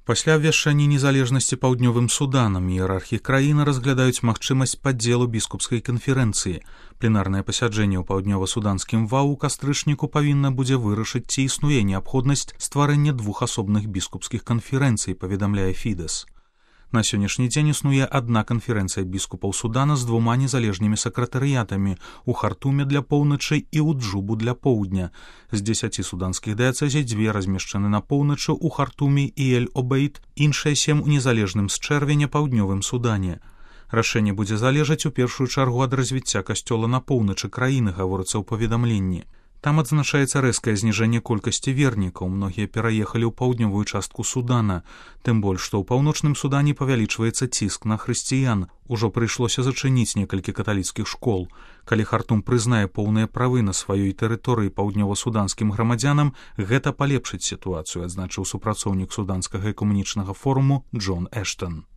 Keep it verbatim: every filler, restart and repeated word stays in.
Пасля абвяшчання незалежнасці паўднёвым Суданам іерархі краіны разглядаюць магчымасць падзелу біскупскай канферэнцыі. Пленарнае пасяджэнне ў паўднёва-суданскім ва ў кастрычніку павінна будзе вырашыць, ці існуе неабходнасць стварэння двух асобных біскупскіх канферэнцый, паведамляе Фідэс. На сённяшні дзень існуе адна канферэнцыя біскупаў Судана з двума незалежнымі сакратарыятамі ў Хартуме для поўначы і ў Джубу для поўдня. З дзесяці суданскіх дыяцэзій дзве размешчаны на поўначы ў Хартуме і Эль-Обейд, іншыя сем у незалежным з чэрвеня паўднёвым Судане. Рашэнне будзе залежаць у першую чаргу ад развіцця касцёла на поўначы краіны, гаворыцца ў паведамленні. Там адзначаецца рэзкае зніжэнне колькасці вернікаў, многія пераехалі ў паўднёвую частку Судана, тым больш, што ў паўночным Судане павялічваецца ціск на хрысціян. Ужо прыйшлося зачыніць некалькі каталіцкіх школ. Калі Хартум прызнае поўныя правы на сваёй тэрыторыі паўднёва-суданскім грамадзянам, гэта палепшыць сітуацыю, адзначыў супрацоўнік суданскага экуменічнага форуму Джон Эштон.